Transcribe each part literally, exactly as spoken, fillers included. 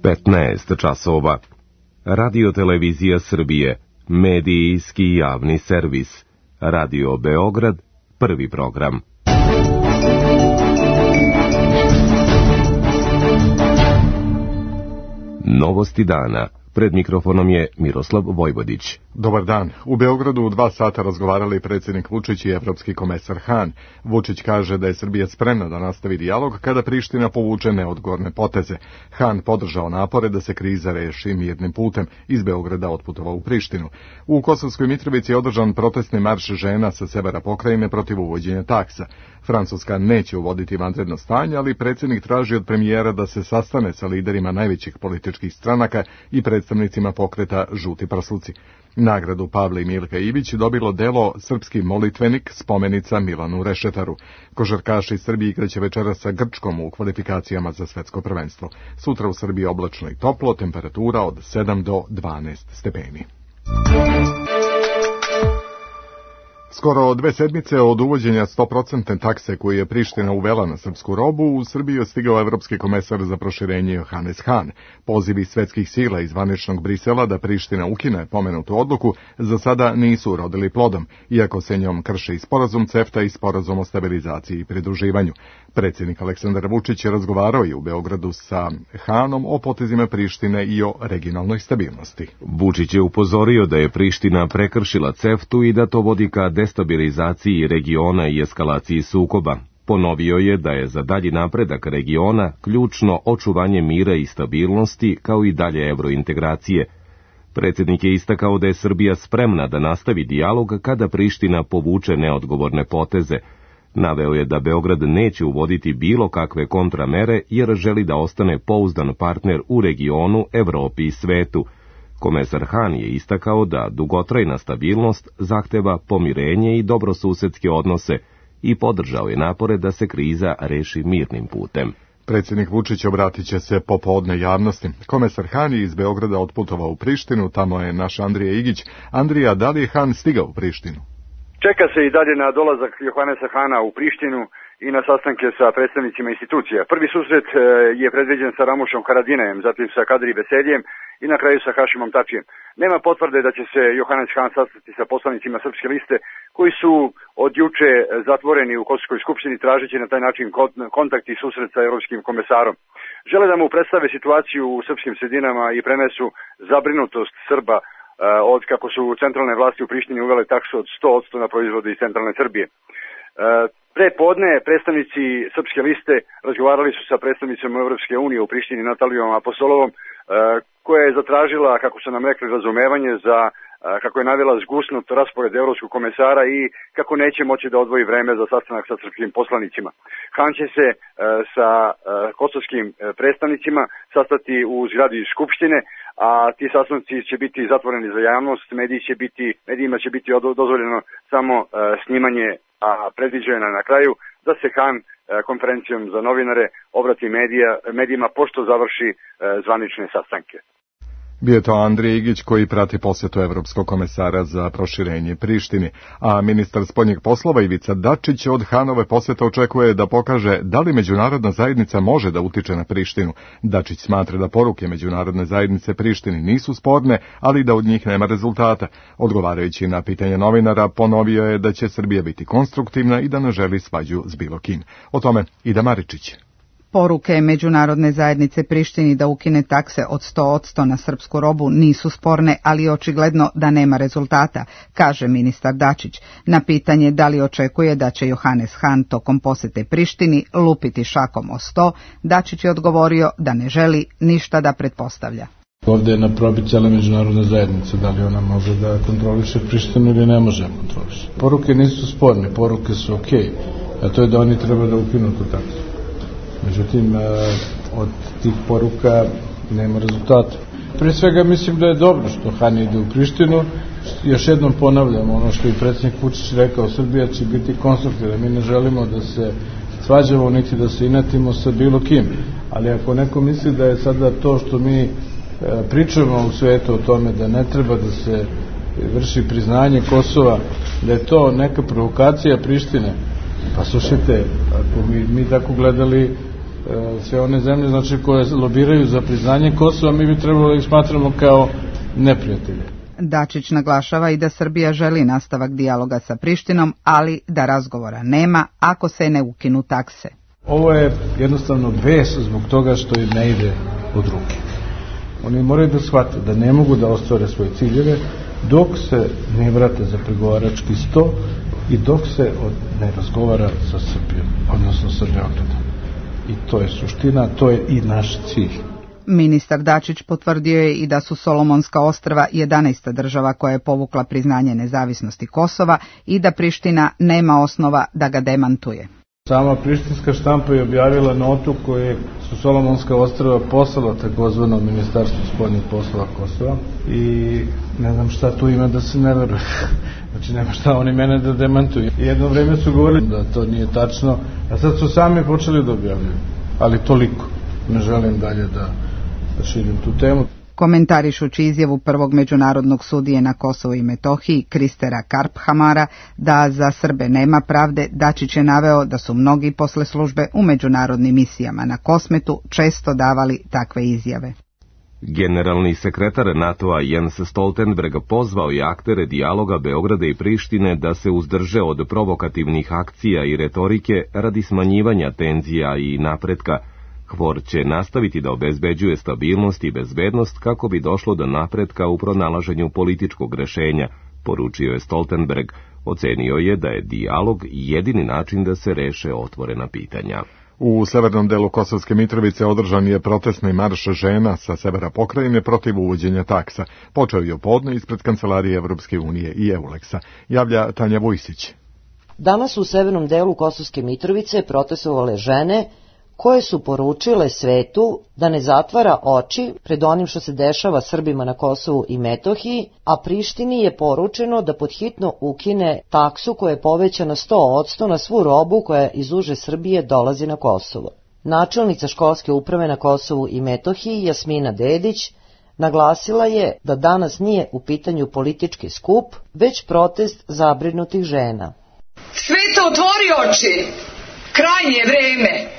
petnaest časova. Radio Televizija Srbije, medijski javni servis. Radio Beograd, prvi program. Novosti dana. Pred mikrofonom je Miroslav Vojvodić. Dobar dan. U Beogradu u dva sata razgovarali predsjednik Vučić i evropski komesar Han. Vučić kaže da je Srbija spremna da nastavi dijalog kada Priština povuče neodgovorne poteze. Han podržao napore da se kriza reši mirnim putem. Iz Beograda otputovao u Prištinu. U Kosovskoj Mitrovici je održan protestni marš žena sa severa pokrajine protiv uvođenja taksa. Francuska neće uvoditi vanredno stanje, ali predsjednik traži od premijera da se sastane sa liderima najvećih političkih stranaka i predstavnicima pokreta Žuti prsluci. Nagradu Pavle i Milka Ivić dobilo delo Srpski molitvenik, spomenica Milanu Rešetaru. Košarkaši Srbije igraće večeras sa Grčkom u kvalifikacijama za svetsko prvenstvo. Sutra u Srbiji oblačno i toplo, temperatura od sedam do dvanaest stepeni. Skoro dve sedmice od uvođenja sto posto takse koju je Priština uvela na srpsku robu, u Srbiju je stigao evropski komesar za proširenje Johannes Hahn. Pozivi svetskih sila iz zvaničnog Brisela da Priština ukine pomenutu odluku za sada nisu urodili plodom, iako se njom krše i sporazum CEFTA i sporazum o stabilizaciji i pridruživanju. Predsjednik Aleksandar Vučić je razgovarao i u Beogradu sa Hahnom o potezima Prištine i o regionalnoj stabilnosti. Vučić je upozorio da je Priština prekršila CEFTU i da to vodi ka destabilizaciji regiona i eskalaciji sukoba. Ponovio je da je za dalji napredak regiona ključno očuvanje mira i stabilnosti, kao i dalje evrointegracije. Predsjednik je istakao da je Srbija spremna da nastavi dijalog kada Priština povuče neodgovorne poteze. Naveo je da Beograd neće uvoditi bilo kakve kontramere jer želi da ostane pouzdan partner u regionu, Evropi i svetu. Komesar Han je istakao da dugotrajna stabilnost zahteva pomirenje i dobrosusedske odnose i podržao je napore da se kriza reši mirnim putem. Predsjednik Vučić obratit će se popodne javnosti. Komesar Han je iz Beograda otputovao u Prištinu, tamo je naš Andrija Igić. Andrija, da li je Han stigao u Prištinu? Čeka se i dalje na dolazak Johannesa Hana u Prištinu i na sastanke sa predstavnicima institucija. Prvi susret je predviđen sa Ramušom Haradinajem, zatim sa Kadri Veseljem i na kraju sa Hašimom Tačijem. Nema potvrde da će se Johannes Han sastati sa poslanicima Srpske liste, koji su od juče zatvoreni u Kosovskoj skupštini, tražeći na taj način kontakt i susret sa evropskim komesarom. Žele da mu predstave situaciju u srpskim sredinama i prenesu zabrinutost Srba od kako su centralne vlasti u Prištini uvele taksu od sto posto na proizvode iz centralne Srbije. Pre podne predstavnici Srpske liste razgovarali su sa predstavnicom Evropske unije u Prištini Natalijom Apostolovom, koja je zatražila, kako su nam rekli, razumevanje za, kako je navela, zgusnut raspored evropskog komesara i kako neće moći da odvoji vreme za sastanak sa srpskim poslanicima. Han će se sa kosovskim predstavnicima sastati u zgradi Skupštine, a ti sastanci će biti zatvoreni za javnost, mediji će biti, medijima će biti dozvoljeno samo snimanje, a predviđeno na kraju da se Han konferencijom za novinare obrati medija, medijima pošto završi zvanične sastanke. Bio je to Andrija Igić koji prati posjetu evropskog komesara za proširenje Prištini, a ministar spoljnih poslova Ivica Dačić od Hanove posjete očekuje da pokaže da li međunarodna zajednica može da utiče na Prištinu. Dačić smatra da poruke međunarodne zajednice Prištini nisu sporne, ali da od njih nema rezultata. Odgovarajući na pitanje novinara, ponovio je da će Srbija biti konstruktivna i da ne želi svađu s bilo kim. O tome Ida Maričić. Poruke međunarodne zajednice Prištini da ukine takse od sto posto na srpsku robu nisu sporne, ali je očigledno da nema rezultata, kaže ministar Dačić. Na pitanje da li očekuje da će Johannes Han tokom posete Prištini lupiti šakom o sto, Dačić je odgovorio da ne želi ništa da pretpostavlja. Ovdje je na probi cijela međunarodna zajednica, da li ona može da kontroliše Prištinu ili ne može kontroliše. Poruke nisu sporne, poruke su okej, a to je da oni treba da ukinu tu taksu. Međutim, od tih poruka nema rezultata. Prije svega mislim da je dobro što Han ide u Prištinu. Još jednom ponavljam ono što je predsjednik Vučić rekao, Srbija će biti konstruktivna. Mi ne želimo da se svađamo niti da se inatimo sa bilo kim. Ali ako neko misli da je sada to što mi pričamo u svijetu o tome da ne treba da se vrši priznanje Kosova, da je to neka provokacija Prištine, pa slušajte, ako mi, mi tako gledali sve one zemlje znači, koje lobiraju za priznanje Kosova, mi bi trebalo da ih smatramo kao neprijatelje. Dačić naglašava i da Srbija želi nastavak dijaloga sa Prištinom, ali da razgovora nema ako se ne ukinu takse. Ovo je jednostavno bes zbog toga što im ne ide od ruke. Oni moraju da shvate da ne mogu da ostvare svoje ciljeve dok se ne vrate za pregovarački sto i dok se ne razgovara sa Srbijom, odnosno sa Beogradom. I to je suština, to je i naš cilj. Ministar Dačić potvrdio je i da su Solomonska ostrva jedanaesta država koja je povukla priznanje nezavisnosti Kosova i da Priština nema osnova da ga demantuje. Sama prištinska štampa je objavila notu koju su Solomonska ostrva poslala takozvano Ministarstvu spoljnih poslova Kosova i ne znam šta tu ima da se ne veruje. Znači nema šta oni mene da demantuju. Jedno vreme su govorili da to nije tačno, a sad su sami počeli da objavljaju. Ali toliko. Ne želim dalje da, da širim tu temu. Komentarišući izjavu prvog međunarodnog sudije na Kosovu i Metohiji, Kristera Karphamara, da za Srbe nema pravde, Dačić je naveo da su mnogi posle službe u međunarodnim misijama na Kosmetu često davali takve izjave. Generalni sekretar NATO-a Jens Stoltenberg pozvao je aktere dijaloga Beograda i Prištine da se uzdrže od provokativnih akcija i retorike radi smanjivanja tenzija i napretka. Hvor će nastaviti da obezbeđuje stabilnost i bezbednost kako bi došlo do napretka u pronalaženju političkog rešenja, poručio je Stoltenberg. Ocenio je da je dijalog jedini način da se reše otvorena pitanja. U severnom delu Kosovske Mitrovice održan je protestni marš žena sa severa pokrajine protiv uvođenja taksa. Počeo je podne ispred Kancelarije Evropske unije i Euleksa. Javlja Tanja Vujsić. Danas u severnom delu Kosovske Mitrovice protestovale žene koje su poručile svetu da ne zatvara oči pred onim što se dešava Srbima na Kosovu i Metohiji, a Prištini je poručeno da podhitno ukine taksu koja je povećana sto posto na svu robu koja iz uže Srbije dolazi na Kosovo. Načelnica školske uprave na Kosovu i Metohiji, Jasmina Dedić, naglasila je da danas nije u pitanju politički skup, već protest zabrinutih žena. Svet otvori oči, krajnje je vreme.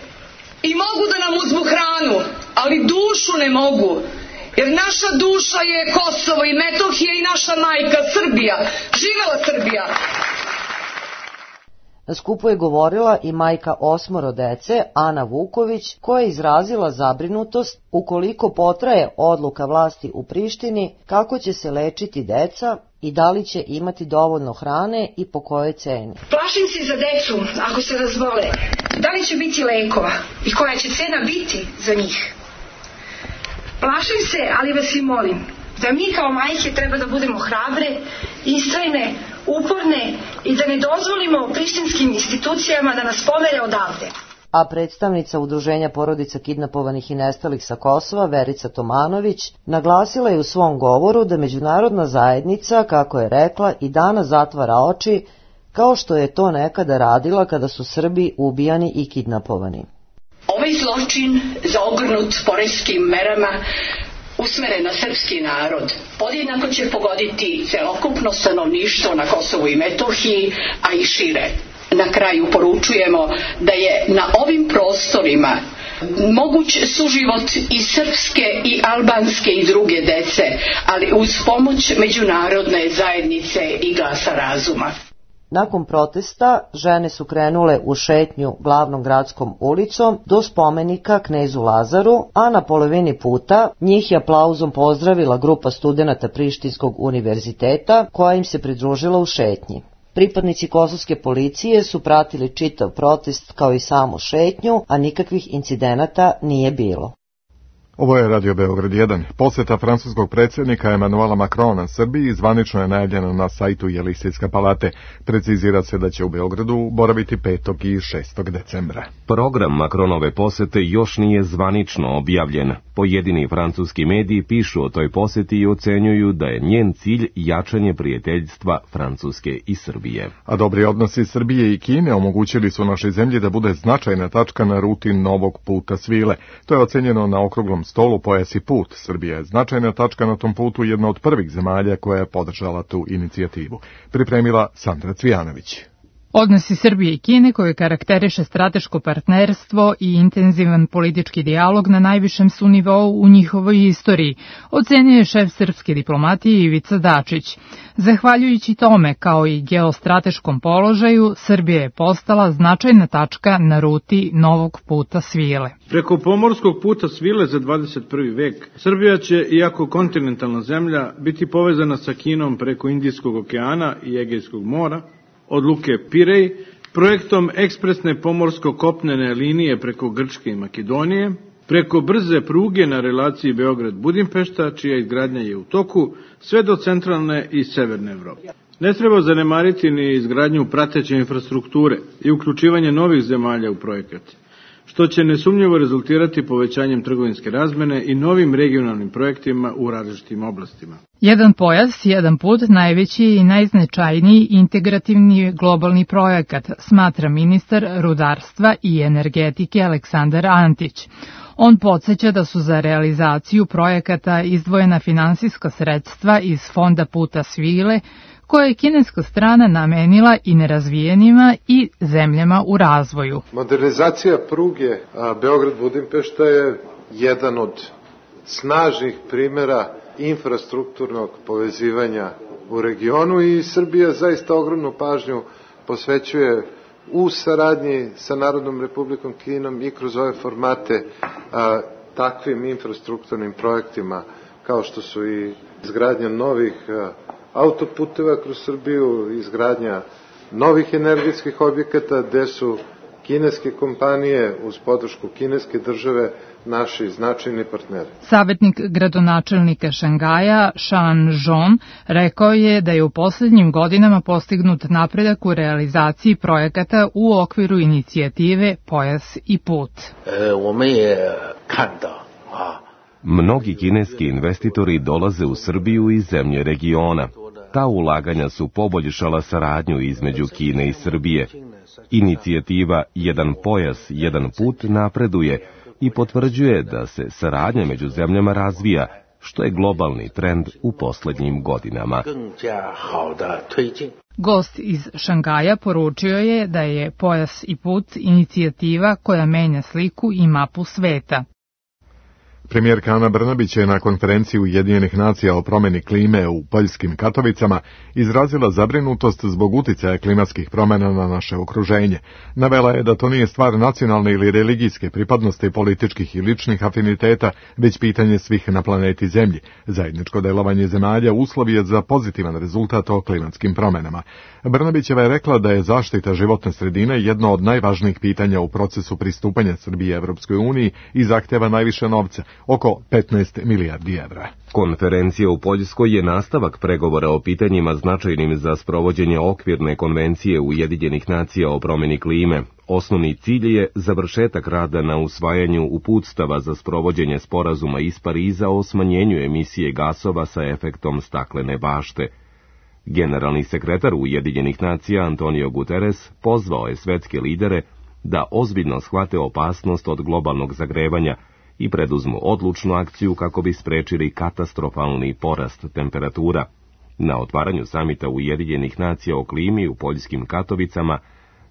I mogu da nam uzmu hranu, ali dušu ne mogu, jer naša duša je Kosovo i Metohija i naša majka Srbija. Živela Srbija! Na skupu je govorila i majka osmoro dece, Ana Vuković, koja je izrazila zabrinutost ukoliko potraje odluka vlasti u Prištini kako će se lečiti deca i da li će imati dovoljno hrane i po kojoj ceni. Plašim se za decu ako se razbole. Da li će biti lekova i koja će cena biti za njih? Plašim se, ali vas i molim, da mi kao majke treba da budemo hrabre, istrajne, uporne i da ne dozvolimo prištinskim institucijama da nas pomere odavde. A predstavnica Udruženja porodica kidnapovanih i nestalih sa Kosova, Verica Tomanović, naglasila je u svom govoru da međunarodna zajednica, kako je rekla, i danas zatvara oči, kao što je to nekada radila kada su Srbi ubijani i kidnapovani. Ovaj zločin zaogrnut poreskim merama usmeren na srpski narod podjednako će pogoditi celokupno stanovništvo na Kosovu i Metohiji, a i šire. Na kraju poručujemo da je na ovim prostorima moguć suživot i srpske i albanske i druge dece, ali uz pomoć međunarodne zajednice i glasa razuma. Nakon protesta, žene su krenule u šetnju glavnom gradskom ulicom do spomenika knezu Lazaru, a na polovini puta njih je aplauzom pozdravila grupa studenata Prištinskog univerziteta koja im se pridružila u šetnji. Pripadnici kosovske policije su pratili čitav protest kao i samu šetnju, a nikakvih incidenata nije bilo. Ovo je Radio Beograd jedan. Posjeta francuskog predsjednika Emanuela Macrona Srbiji zvanično je najavljena na sajtu Jelisejska palate. Precizira se da će u Beogradu boraviti petog i šestog decembra. Program Macronove posjete još nije zvanično objavljen. Pojedini francuski mediji pišu o toj posjeti i ocenjuju da je njen cilj jačanje prijateljstva Francuske i Srbije. A dobri odnosi Srbije i Kine omogućili su našoj zemlji da bude značajna tačka na ruti novog puta svile. To je ocenjeno na okruglom stolu Pojas i put. Srbija je značajna tačka na tom putu, jedna od prvih zemalja koja je podržala tu inicijativu. Pripremila Sandra Cvijanović. Odnosi Srbije i Kine, koje karakteriše strateško partnerstvo i intenzivan politički dijalog na najvišem su nivou u njihovoj istoriji, ocenio je šef srpske diplomatije Ivica Dačić. Zahvaljujući tome, kao i geostrateškom položaju, Srbija je postala značajna tačka na ruti novog puta svile. Preko pomorskog puta svile za dvadeset prvi vek, Srbija će, iako kontinentalna zemlja, biti povezana sa Kinom preko Indijskog okeana i Egejskog mora, od luke Pirej, projektom ekspresne pomorsko-kopnene linije preko Grčke i Makedonije, preko brze pruge na relaciji Beograd-Budimpešta, čija izgradnja je u toku, sve do centralne i severne Evrope. Ne treba zanemariti ni izgradnju prateće infrastrukture i uključivanje novih zemalja u projekat, što će nesumnjivo rezultirati povećanjem trgovinske razmene i novim regionalnim projektima u različitim oblastima. Jedan pojas, jedan put, najveći i najznačajniji integrativni globalni projekat, smatra ministar rudarstva i energetike Aleksandar Antić. On podsjeća da su za realizaciju projekata izdvojena finansijska sredstva iz Fonda puta svile, koje je kineska strana namenila i nerazvijenima i zemljama u razvoju. Modernizacija pruge Beograd-Budimpešta je jedan od snažnih primjera infrastrukturnog povezivanja u regionu i Srbija zaista ogromnu pažnju posvećuje u saradnji sa Narodnom Republikom Kinom i kroz ove formate a, takvim infrastrukturnim projektima kao što su i izgradnja novih a, autoputeva kroz Srbiju, izgradnja novih energetskih objekata gde su kineske kompanije uz podršku kineske države naši značajni partneri. Savjetnik gradonačelnika Šangaja, Shan Zhong, rekao je da je u poslednjim godinama postignut napredak u realizaciji projekata u okviru inicijative Pojas i put. Mnogi kineski investitori dolaze u Srbiju i zemlje regiona. Ta ulaganja su poboljšala saradnju između Kine i Srbije. Inicijativa Jedan pojas, jedan put napreduje i potvrđuje da se saradnja među zemljama razvija, što je globalni trend u poslednjim godinama. Gost iz Šangaja poručio je da je Pojas i put inicijativa koja menja sliku i mapu sveta. Premijerka Ana Brnabić je na konferenciji Ujedinjenih nacija o promjeni klime u poljskim Katovicama izrazila zabrinutost zbog uticaja klimatskih promjena na naše okruženje. Navela je da to nije stvar nacionalne ili religijske pripadnosti, političkih i ličnih afiniteta, već pitanje svih na planeti Zemlji. Zajedničko delovanje zemalja uslov je za pozitivan rezultat o klimatskim promjenama. Brnabićeva je rekla da je zaštita životne sredine jedno od najvažnijih pitanja u procesu pristupanja Srbije Evropskoj uniji i zahteva najviše novca, oko petnaest milijardi evra. Konferencija u Poljskoj je nastavak pregovora o pitanjima značajnim za sprovođenje okvirne konvencije Ujedinjenih nacija o promjeni klime. Osnovni cilj je završetak rada na usvajanju uputstava za sprovođenje sporazuma iz Pariza o smanjenju emisije gasova sa efektom staklene bašte. Generalni sekretar Ujedinjenih nacija Antonio Guterres pozvao je svetske lidere da ozbiljno shvate opasnost od globalnog zagrevanja i preduzmu odlučnu akciju kako bi sprečili katastrofalni porast temperatura. Na otvaranju samita Ujedinjenih nacija o klimi u poljskim Katovicama,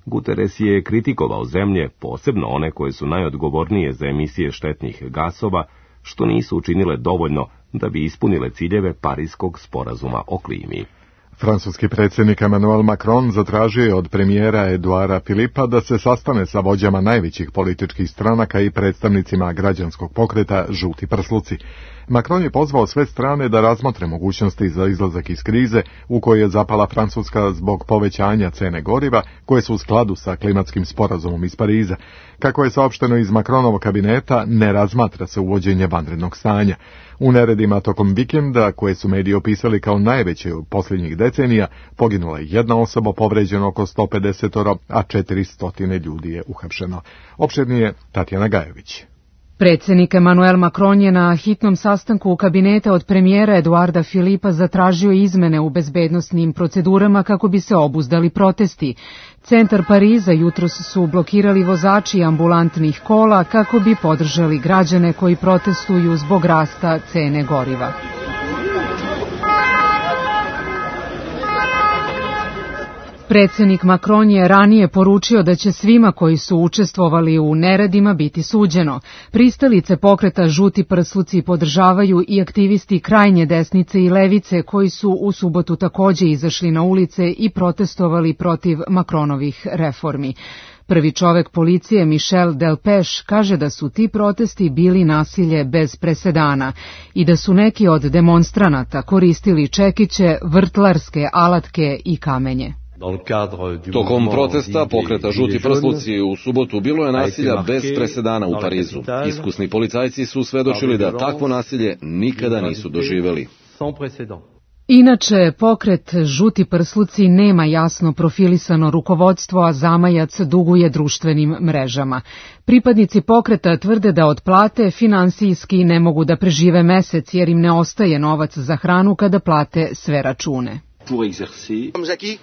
Guterres je kritikovao zemlje, posebno one koje su najodgovornije za emisije štetnih gasova, što nisu učinile dovoljno da bi ispunile ciljeve Pariskog sporazuma o klimi. Francuski predsjednik Emmanuel Macron zatražio je od premijera Eduara Philippa da se sastane sa vođama najvećih političkih stranaka i predstavnicima građanskog pokreta Žuti prsluci. Macron je pozvao sve strane da razmotre mogućnosti za izlazak iz krize u kojoj je zapala Francuska zbog povećanja cene goriva koje su u skladu sa klimatskim sporazumom iz Pariza. Kako je saopšteno iz Macronovog kabineta, ne razmatra se uvođenje vanrednog stanja. U neredima tokom vikenda, koje su mediji opisali kao najveće u posljednjih decenija, poginula je jedna osoba, povređeno oko sto pedeset, a četiristo ljudi je uhapšeno. Opširnije Tatjana Gajević. Predsjednik Emmanuel Macron je na hitnom sastanku u kabineta od premijera Eduarda Philippa zatražio izmene u bezbednosnim procedurama kako bi se obuzdali protesti. Centar Pariza jutros su blokirali vozači ambulantnih kola kako bi podržali građane koji protestuju zbog rasta cene goriva. Predsednik Macron je ranije poručio da će svima koji su učestvovali u neredima biti suđeno. Pristalice pokreta Žuti prsluci podržavaju i aktivisti krajnje desnice i levice koji su u subotu takođe izašli na ulice i protestovali protiv Macronovih reformi. Prvi čovek policije Michel Delpech kaže da su ti protesti bili nasilje bez presedana i da su neki od demonstranata koristili čekiće, vrtlarske alatke i kamenje. Tokom protesta pokreta Žuti prsluci u subotu bilo je nasilja bez presedana u Parizu. Iskusni policajci su svedočili da takvo nasilje nikada nisu doživeli. Inače, pokret Žuti prsluci nema jasno profilisano rukovodstvo, a zamajac duguje društvenim mrežama. Pripadnici pokreta tvrde da od plate finansijski ne mogu da prežive mesec jer im ne ostaje novac za hranu kada plate sve račune.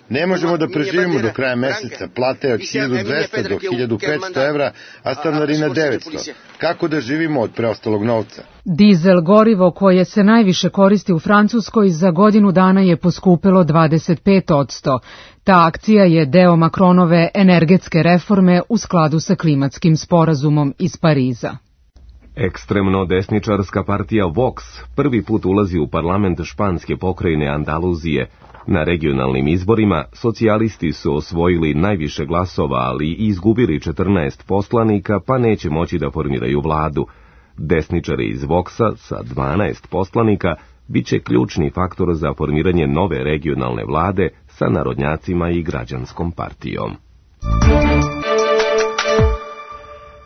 Ne možemo da preživimo do kraja meseca, plate od hiljadu dvesta do hiljadu petsto evra, a stanarina devetsto. Kako da živimo od preostalog novca? Dizel gorivo koje se najviše koristi u Francuskoj za godinu dana je poskupelo dvadeset pet posto. Ta akcija je deo Macronove energetske reforme u skladu sa klimatskim sporazumom iz Pariza. Ekstremno desničarska partija Vox prvi put ulazi u parlament španske pokrajine Andaluzije. Na regionalnim izborima socijalisti su osvojili najviše glasova, ali i izgubili četrnaest poslanika, pa neće moći da formiraju vladu. Desničari iz Voxa sa dvanaest poslanika bit će ključni faktor za formiranje nove regionalne vlade sa narodnjacima i građanskom partijom.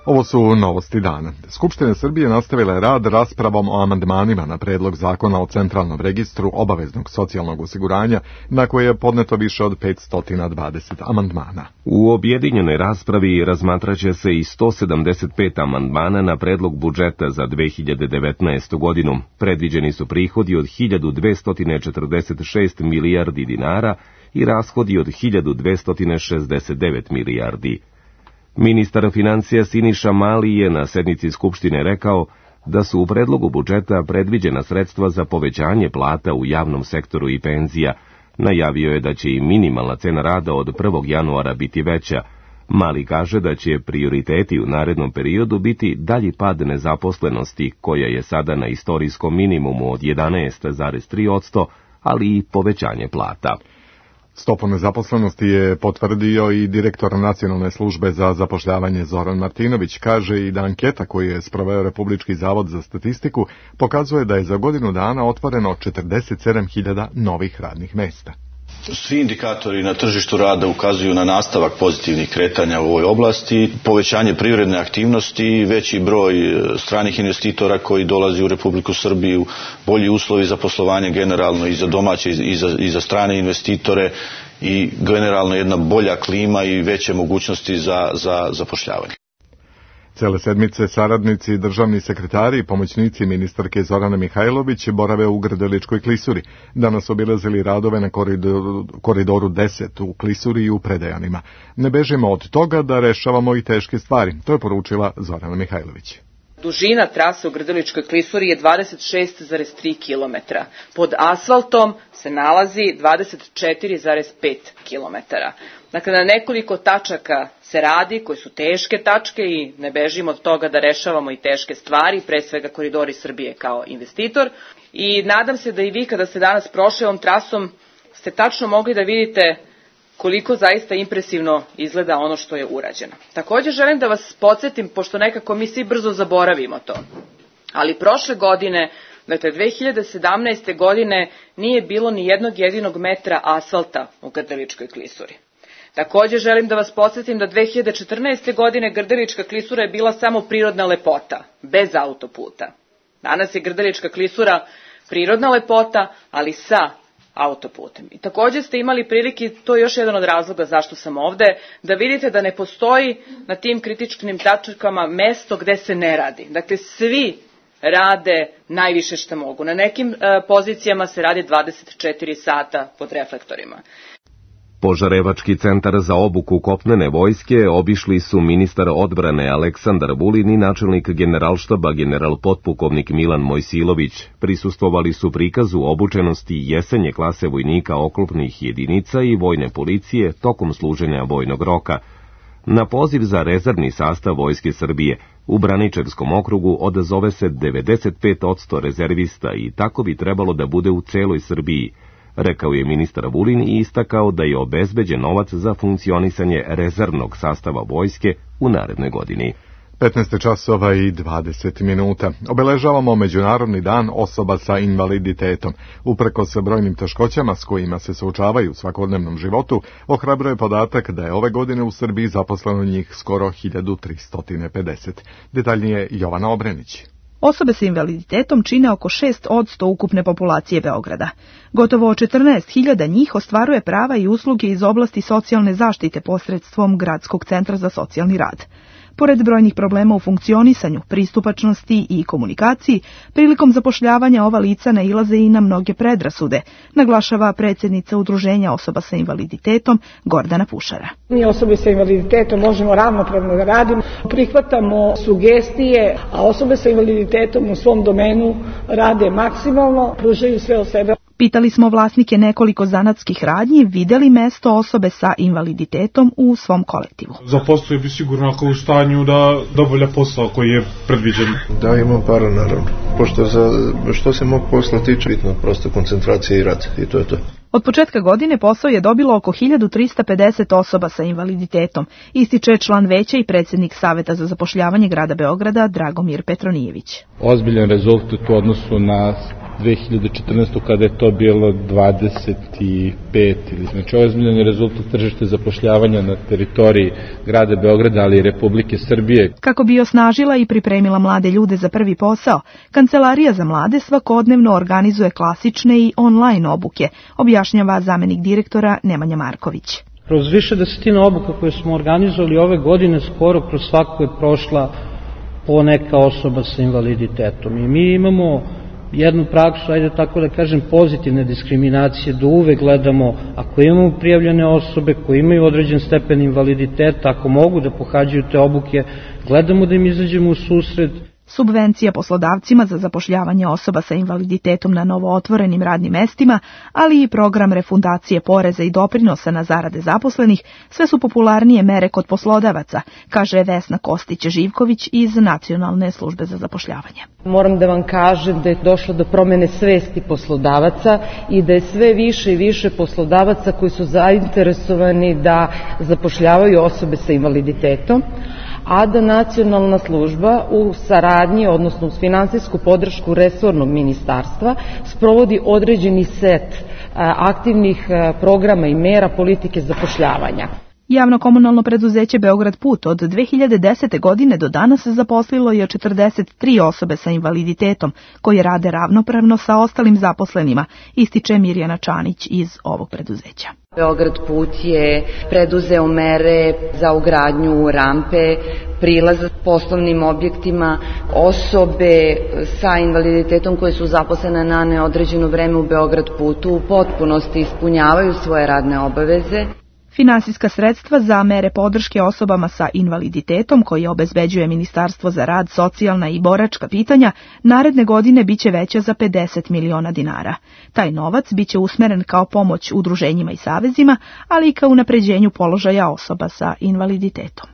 Ovo su novosti dana. Skupština Srbije nastavila je rad raspravom o amandmanima na predlog zakona o centralnom registru obaveznog socijalnog osiguranja, na koje je podneto više od petsto dvadeset amandmana. U objedinjenoj raspravi razmatraće se i sto sedamdeset pet amandmana na predlog budžeta za dve hiljade devetnaestu godinu. Predviđeni su prihodi od hiljadu dvesta četrdeset šest milijardi dinara i rashodi od hiljadu dvesta šezdeset devet milijardi. Ministar financija Siniša Mali je na sednici Skupštine rekao da su u predlogu budžeta predviđena sredstva za povećanje plata u javnom sektoru i penzija. Najavio je da će i minimalna cena rada od prvog januara biti veća. Mali kaže da će prioriteti u narednom periodu biti dalji pad nezaposlenosti, koja je sada na istorijskom minimumu od jedanaest zarez tri posto, ali i povećanje plata. Stopu nezaposlenosti je potvrdio i direktor Nacionalne službe za zapošljavanje Zoran Martinović. Kaže i da anketa koju je sproveo Republički zavod za statistiku pokazuje da je za godinu dana otvoreno četrdeset sedam hiljada novih radnih mesta. Svi indikatori na tržištu rada ukazuju na nastavak pozitivnih kretanja u ovoj oblasti, povećanje privredne aktivnosti, veći broj stranih investitora koji dolazi u Republiku Srbiju, bolji uslovi za poslovanje generalno i za domaće i za, i za strane investitore i generalno jedna bolja klima i veće mogućnosti za, za zapošljavanje. Cele sedmice saradnici, državni sekretari i pomoćnici ministarke Zorane Mihajlović borave u Grdeličkoj klisuri. Danas obilazili radove na koridoru, koridoru deset u Klisuri i u Predejanima. Ne bežimo od toga da rešavamo i teške stvari, to je poručila Zorana Mihajlović. Dužina trase u Grdeličkoj klisuri je dvadeset šest zarez tri kilometra. Pod asfaltom se nalazi dvadeset četiri zarez pet kilometara. Dakle, na nekoliko tačaka se radi, koje su teške tačke i ne bežimo od toga da rešavamo i teške stvari, pre svega Koridori Srbije kao investitor. I nadam se da i vi kada ste danas prošli ovom trasom ste tačno mogli da vidite koliko zaista impresivno izgleda ono što je urađeno. Također želim da vas podsjetim, pošto nekako mi svi brzo zaboravimo to, ali prošle godine, dakle dve hiljade sedamnaeste. godine, nije bilo ni jednog jedinog metra asfalta u Grdeličkoj klisuri. Također želim da vas podsjetim da dve hiljade četrnaeste. godine Grdelička klisura je bila samo prirodna lepota, bez autoputa. Danas je Grdelička klisura prirodna lepota, ali sa autoputem. I također ste imali prilike, to je još jedan od razloga zašto sam ovde, da vidite da ne postoji na tim kritičkim tačkama mesto gde se ne radi. Dakle, svi rade najviše što mogu. Na nekim e, pozicijama se radi dvadeset četiri sata pod reflektorima. Požarevački centar za obuku kopnene vojske obišli su ministar odbrane Aleksandar Vulin i načelnik generalštaba general potpukovnik Milan Mojsilović. Prisustvovali su prikazu obučenosti jesenje klase vojnika oklopnih jedinica i vojne policije tokom služenja vojnog roka. Na poziv za rezervni sastav Vojske Srbije u Braničevskom okrugu odazove se devedeset pet posto rezervista i tako bi trebalo da bude u celoj Srbiji, rekao je ministar Vulin i istakao da je obezbeđen novac za funkcionisanje rezervnog sastava vojske u narednoj godini. petnaest časova i dvadeset minuta. Obeležavamo Međunarodni dan osoba sa invaliditetom. Uprkos brojnim teškoćama s kojima se suočavaju u svakodnevnom životu, ohrabruje podatak da je ove godine u Srbiji zaposleno njih skoro hiljadu tristo pedeset. Detaljnije Jovana Obrenić. Osobe sa invaliditetom čine oko šest posto ukupne populacije Beograda. Gotovo četrnaest hiljada njih ostvaruje prava i usluge iz oblasti socijalne zaštite posredstvom Gradskog centra za socijalni rad. Pored brojnih problema u funkcionisanju, pristupačnosti i komunikaciji, prilikom zapošljavanja ova lica nailaze i na mnoge predrasude, naglašava predsjednica Udruženja osoba sa invaliditetom Gordana Pušara. Mi osobe sa invaliditetom možemo ravnopravno da radimo, prihvatamo sugestije, a osobe sa invaliditetom u svom domenu rade maksimalno, pružaju sve od sebe. Pitali smo vlasnike nekoliko zanatskih radnji, videli mesto osobe sa invaliditetom u svom kolektivu. Zaposlio bi sigurno ako u stanju da dovolja posao koji je predviđen. Da, imam para naravno. Pošto za, što se mog posla tiče, bitno prosto koncentracija i rad i to je to. Od početka godine posao je dobilo oko hiljadu trista pedeset osoba sa invaliditetom, ističe član veća i predsjednik Saveta za zapošljavanje grada Beograda Dragomir Petronijević. Ozbiljan rezultat u odnosu na dve hiljade četrnaestu. kada je to bilo dvadeset pet. Znači, ozbiljan je rezultat tržišta zapošljavanja na teritoriji grada Beograda, ali i Republike Srbije. Kako bi osnažila i pripremila mlade ljude za prvi posao, Kancelarija za mlade svakodnevno organizuje klasične i online obuke, objašnjava zamenik direktora Nemanja Marković. Kroz više desetina obuka koje smo organizovali ove godine, skoro kroz svaku je prošla po neka osoba sa invaliditetom. I mi imamo jednu praksu, ajde tako da kažem, pozitivne diskriminacije, da uvek gledamo, ako imamo prijavljene osobe koje imaju određen stepen invaliditeta, ako mogu da pohađaju te obuke, gledamo da im izađemo u susret. Subvencija poslodavcima za zapošljavanje osoba sa invaliditetom na novo otvorenim radnim mestima, ali i program refundacije poreza i doprinosa na zarade zaposlenih, sve su popularnije mere kod poslodavaca, kaže Vesna Kostić-Živković iz Nacionalne službe za zapošljavanje. Moram da vam kažem da je došlo do promene svesti poslodavaca i da je sve više i više poslodavaca koji su zainteresovani da zapošljavaju osobe sa invaliditetom, a da nacionalna služba u saradnji, odnosno uz finansijsku podršku resornog ministarstva, sprovodi određeni set aktivnih programa i mera politike zapošljavanja. Javno komunalno preduzeće Beograd Put od dve hiljade desete. godine do danas zaposlilo je četrdeset tri osobe sa invaliditetom, koje rade ravnopravno sa ostalim zaposlenima, ističe Mirjana Čanić iz ovog preduzeća. Beograd Put je preduzeo mere za ugradnju rampe, prilaza poslovnim objektima, osobe sa invaliditetom koje su zaposlene na neodređeno vreme u Beograd Putu u potpunosti ispunjavaju svoje radne obaveze. Finansijska sredstva za mere podrške osobama sa invaliditetom koje obezbeđuje Ministarstvo za rad, socijalna i boračka pitanja naredne godine biće veća za pedeset miliona dinara. Taj novac biće usmeren kao pomoć udruženjima i savezima, ali i kao unapređenju položaja osoba sa invaliditetom.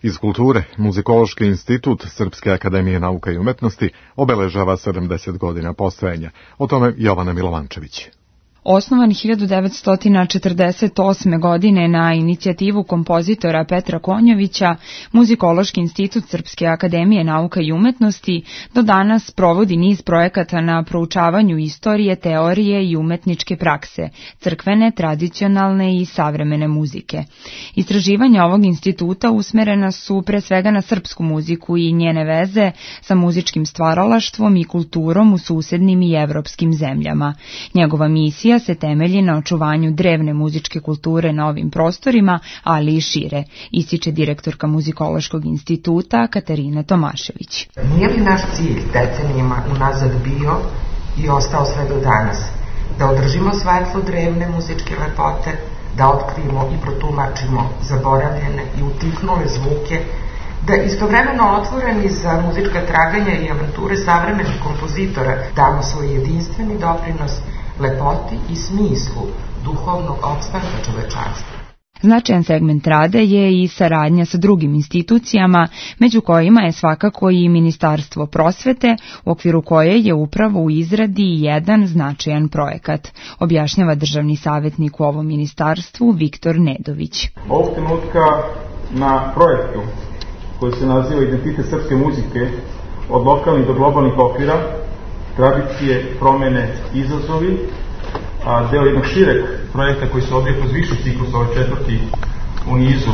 Iz kulture, Muzikološki institut Srpske akademije nauka i umetnosti obeležava sedamdeset godina postojanja. O tome Jovana Milovančević. Osnovan hiljadu devetsto četrdeset osme. godine na inicijativu kompozitora Petra Konjovića, Muzikološki institut Srpske akademije nauka i umetnosti do danas provodi niz projekata na proučavanju istorije, teorije i umetničke prakse, crkvene, tradicionalne i savremene muzike. Istraživanja ovog instituta usmerena su pre svega na srpsku muziku i njene veze sa muzičkim stvaralaštvom i kulturom u susednim i evropskim zemljama. Njegova misija se temelji na očuvanju drevne muzičke kulture na ovim prostorima, ali i šire, ističe direktorka Muzikološkog instituta Katarina Tomašević. Nije li naš cilj decenijima unazad bio i ostao sve do danas da održimo svetlo drevne muzičke lepote, da otkrijemo i protumačimo zaboravljene i utihnule zvuke, da istovremeno otvoreni za muzička traganja i avanture savremenih kompozitora damo svoj jedinstveni doprinos lepoti i smislu duhovnog opstanka čovečanstva. Značajan segment rade je i saradnja sa drugim institucijama, među kojima je svakako i Ministarstvo prosvete, u okviru koje je upravo u izradi jedan značajan projekat, objašnjava državni savjetnik u ovom ministarstvu Viktor Nedović. Ovog trenutka na projektu koji se naziva Identitet srpske muzike od lokalnih do globalnih okvira, tradicije, promene, izazovi, a deo jednog šireg projekta koji se odvija kroz viši ciklus, ovaj četvrti u nizu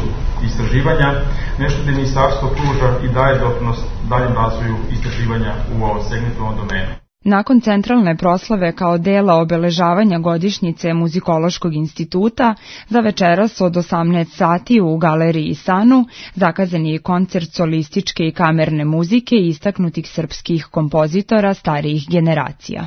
istraživanja, nešto da ministarstvo pruža i daje doprinos daljem razvoju istraživanja u ovom segmentu, u ovom domenu. Nakon centralne proslave kao dela obeležavanja godišnjice Muzikološkog instituta, za večeras od osamnaest sati u Galeriji Sanu zakazan je koncert solističke i kamerne muzike istaknutih srpskih kompozitora starijih generacija.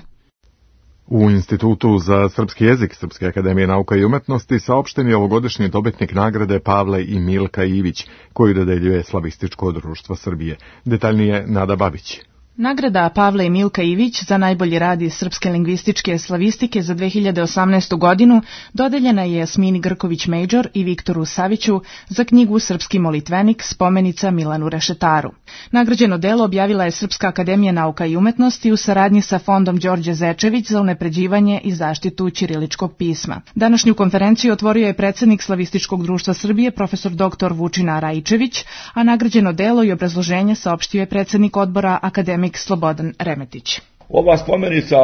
U Institutu za srpski jezik Srpske akademije nauka i umetnosti saopšten je ovogodišnji dobitnik nagrade Pavle i Milka Ivić, koju dodeljuje Slavističko društvo Srbije. Detaljnije Nada Babić. Nagrada Pavle i Milka Ivić za najbolji rad iz srpske lingvističke slavistike za dve hiljade osamnaestu. godinu dodeljena je Jasmini Grković-Major i Viktoru Saviću za knjigu Srpski molitvenik, spomenica Milanu Rešetaru. Nagrađeno delo objavila je Srpska akademija nauka i umetnosti u saradnji sa Fondom Đorđe Zečević za unapređivanje i zaštitu ćiriličkog pisma. Današnju konferenciju otvorio je predsednik Slavističkog društva Srbije, profesor doktor Vučina Raičević, a nagrađeno delo i obrazloženje saopštio je predsednik odbora akademik Slobodan Remetić. Ova spomenica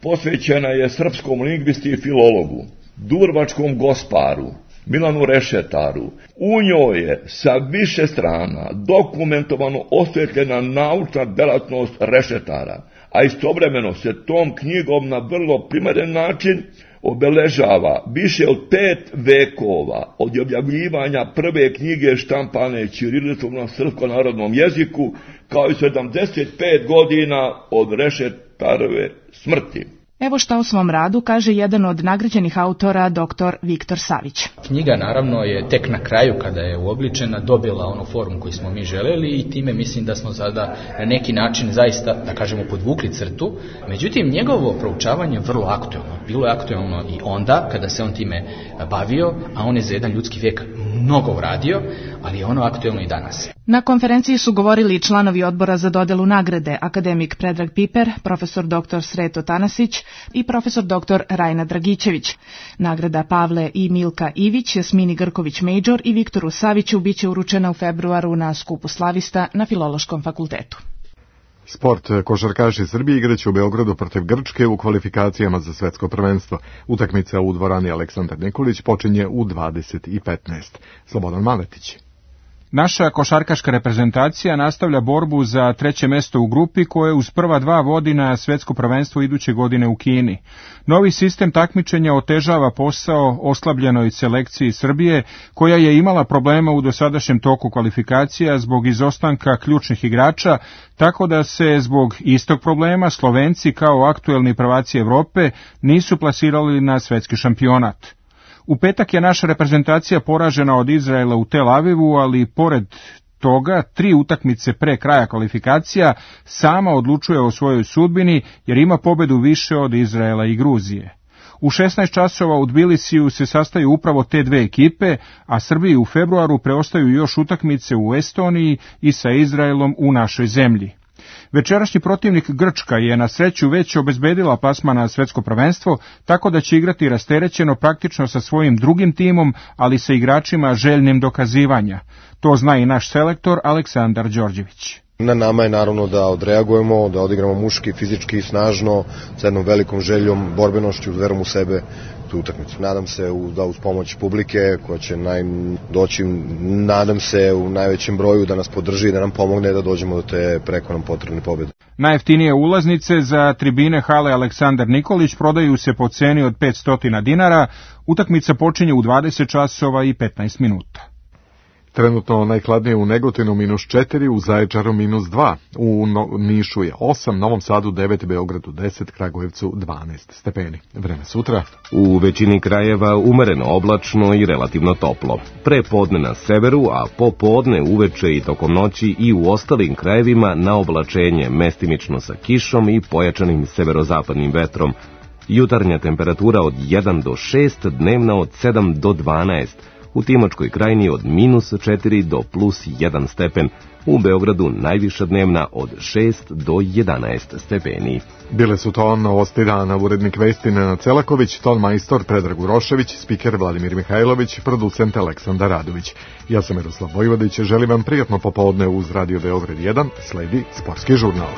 posvećena je srpskom lingvisti i filologu, dubrovačkom gosparu, Milanu Rešetaru. U njoj je sa više strana dokumentovano osvetljena naučna delatnost Rešetara, a istovremeno se tom knjigom na vrlo primeren način obeležava više od pet vekova od objavljivanja prve knjige štampane ćirilicom na srpskom narodnom jeziku, kao i sedamdeset pet godina od Rešetarove smrti. Evo šta o svom radu kaže jedan od nagrađenih autora, doktor Viktor Savić. Knjiga naravno je tek na kraju, kada je uobličena, dobila onu formu koju smo mi želeli i time mislim da smo sada na neki način zaista, da kažemo, podvukli crtu. Međutim, njegovo proučavanje je vrlo aktuelno. Bilo je aktuelno i onda kada se on time bavio, a on je za jedan ljudski vijek mnogo uradio, ali je ono aktuelno i danas. Na konferenciji su govorili članovi odbora za dodelu nagrade, akademik Predrag Piper, profesor doktor Sreto Tanasić i profesor doktor Rajna Dragićević. Nagrada Pavle i Milka Ivić, Jasmini Grković-Major i Viktoru Saviću biće uručena u februaru na skupu slavista na Filološkom fakultetu. Sport. Košarkaši Srbije igraće u Beogradu protiv Grčke u kvalifikacijama za svetsko prvenstvo. Utakmica u dvorani Aleksandar Nikolić počinje u dvadeset i petnaest. Slobodan Maletić. Naša košarkaška reprezentacija nastavlja borbu za treće mesto u grupi koje uz prva dva vodi na svetsko prvenstvo iduće godine u Kini. Novi sistem takmičenja otežava posao oslabljenoj selekciji Srbije, koja je imala problema u dosadašnjem toku kvalifikacija zbog izostanka ključnih igrača, tako da se zbog istog problema Slovenci kao aktuelni prvaci Evrope nisu plasirali na svetski šampionat. U petak je naša reprezentacija poražena od Izraela u Tel Avivu, ali pored toga tri utakmice pre kraja kvalifikacija sama odlučuje o svojoj sudbini jer ima pobedu više od Izraela i Gruzije. U šesnaest časova u Tbilisiju se sastaju upravo te dve ekipe, a Srbiji u februaru preostaju još utakmice u Estoniji i sa Izraelom u našoj zemlji. Večerašnji protivnik Grčka je na sreću već obezbedila plasman na svetsko prvenstvo, tako da će igrati rasterećeno praktično sa svojim drugim timom, ali sa igračima željnim dokazivanja. To zna i naš selektor Aleksandar Đorđević. Na nama je naravno da odreagujemo, da odigramo muški, fizički, snažno, sa jednom velikom željom, borbenošću, verom u sebe tu utakmicu. Nadam se da uz pomoć publike koja će naj, doći, nadam se u najvećem broju da nas podrži i da nam pomogne da dođemo do te preko nam potrebne pobjede. Najjeftinije ulaznice za tribine hale Aleksandar Nikolić prodaju se po ceni od petsto dinara. Utakmica počinje u dvadeset časova i petnaest minuta. Trenutno najhladnije u Negotinu minus četiri, u Zaječaru minus dva, u Nišu je osam, Novom Sadu devet, Beogradu deset, Kragujevcu dvanaest stepeni. Vreme sutra. U većini krajeva umereno oblačno i relativno toplo. Pre podne na severu, a popodne, uveče i tokom noći i u ostalim krajevima na oblačenje, mestimično sa kišom i pojačanim severozapadnim vetrom. Jutarnja temperatura od jedan do šest, dnevna od sedam do dvanaest, u Timočkoj krajini od minus četiri do plus jedan stepen, u Beogradu najviša dnevna od šest do jedanaest stepeni. Bile su to novosti dana, urednik vesti Nenad Celaković, ton majstor Predrag Urošević, spiker Vladimir Mihajlović, producent Aleksandar Radović. Ja sam Miroslav Vojvodić, želim vam prijatno popodne uz Radio Beograd jedan, sledi Sportski žurnal.